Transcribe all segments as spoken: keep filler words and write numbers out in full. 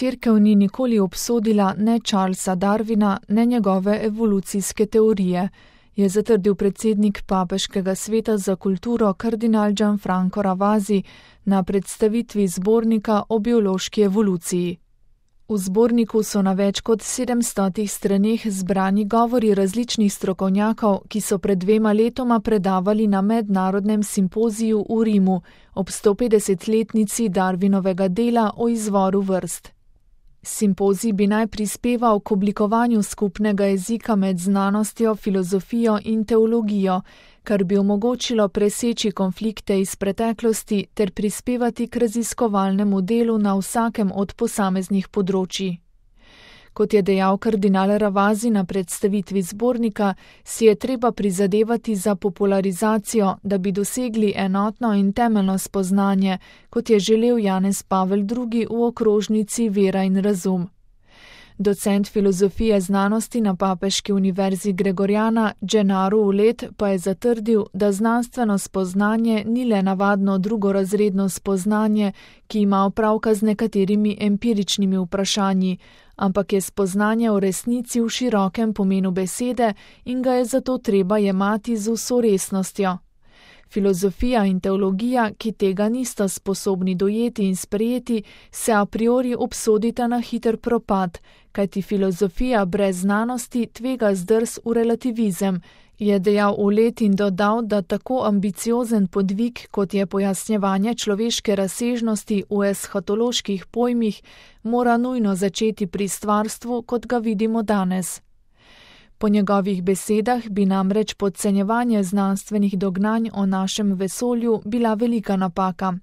Cerkev ni nikoli obsodila ne Charlesa Darwina, ne njegove evolucijske teorije, je zatrdil predsednik Papeškega sveta za kulturo kardinal Gianfranco Ravasi na predstavitvi zbornika o biološki evoluciji. V zborniku so na več kot sedemstotih straneh zbrani govori različnih strokovnjakov, ki so pred dvema letoma predavali na mednarodnem simpoziju v Rimu ob stopetdesetletnici Darwinovega dela o izvoru vrst. Simpozij bi naj prispeval k oblikovanju skupnega jezika med znanostjo, filozofijo in teologijo, kar bi omogočilo preseči konflikte iz preteklosti ter prispevati k raziskovalnemu delu na vsakem od posameznih področij. Kot je dejal kardinal Ravasi na predstavitvi zbornika, si je treba prizadevati za popularizacijo, da bi dosegli enotno in temeljno spoznanje, kot je želel Janez Pavel drugi v okrožnici Vera in razum. Docent filozofije znanosti na Papeški univerzi Gregoriana Gennaro Ulet pa je zatrdil, da znanstveno spoznanje ni le navadno drugorazredno spoznanje, ki ima opravka z nekaterimi empiričnimi vprašanji, ampak je spoznanje o resnici v širokem pomenu besede in ga je zato treba jemati z vso resnostjo. Filozofija in teologija, ki tega nista sposobni dojeti in sprejeti, se a priori obsodita na hiter propad, kajti filozofija brez znanosti tvega zdrs v relativizem, je dejal Ulet in dodal, da tako ambiciozen podvig, kot je pojasnjevanje človeške razsežnosti v eshatoloških pojmih, mora nujno začeti pri stvarstvu, kot ga vidimo danes. Po njegovih besedah bi namreč podcenjevanje znanstvenih dognanj o našem vesolju bila velika napaka.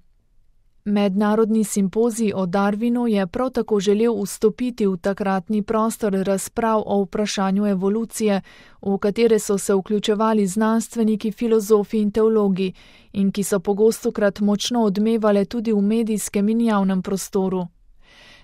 Mednarodni simpozij o Darwinu je prav tako želel vstopiti v takratni prostor razprav o vprašanju evolucije, v katere so se vključevali znanstveniki, filozofi in teologi, in ki so pogostokrat močno odmevale tudi v medijskem in javnem prostoru.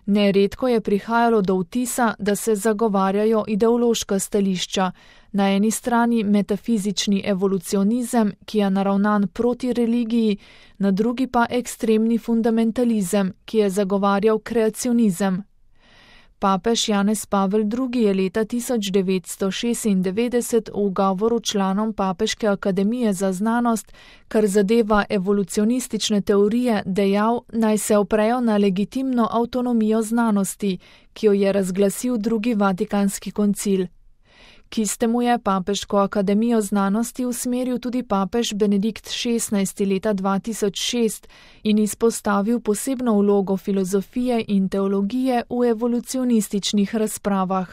Neredko je prihajalo do vtisa, da se zagovarjajo ideološka stališča, na eni strani metafizični evolucionizem, ki je naravnan proti religiji, na drugi pa ekstremni fundamentalizem, ki je zagovarjal kreacionizem. Papež Janez Pavel drugi je leta tisoč devetsto šestindevetdeset v govoru članom Papeške akademije za znanost, kar zadeva evolucionistične teorije, dejal, naj se oprejo na legitimno avtonomijo znanosti, ki jo je razglasil drugi Vatikanski koncil. K istemu je Papeško akademijo znanosti usmeril tudi papež Benedikt šestnajsti leta dva tisoč šest in izpostavil posebno vlogo filozofije in teologije v evolucionističnih razpravah.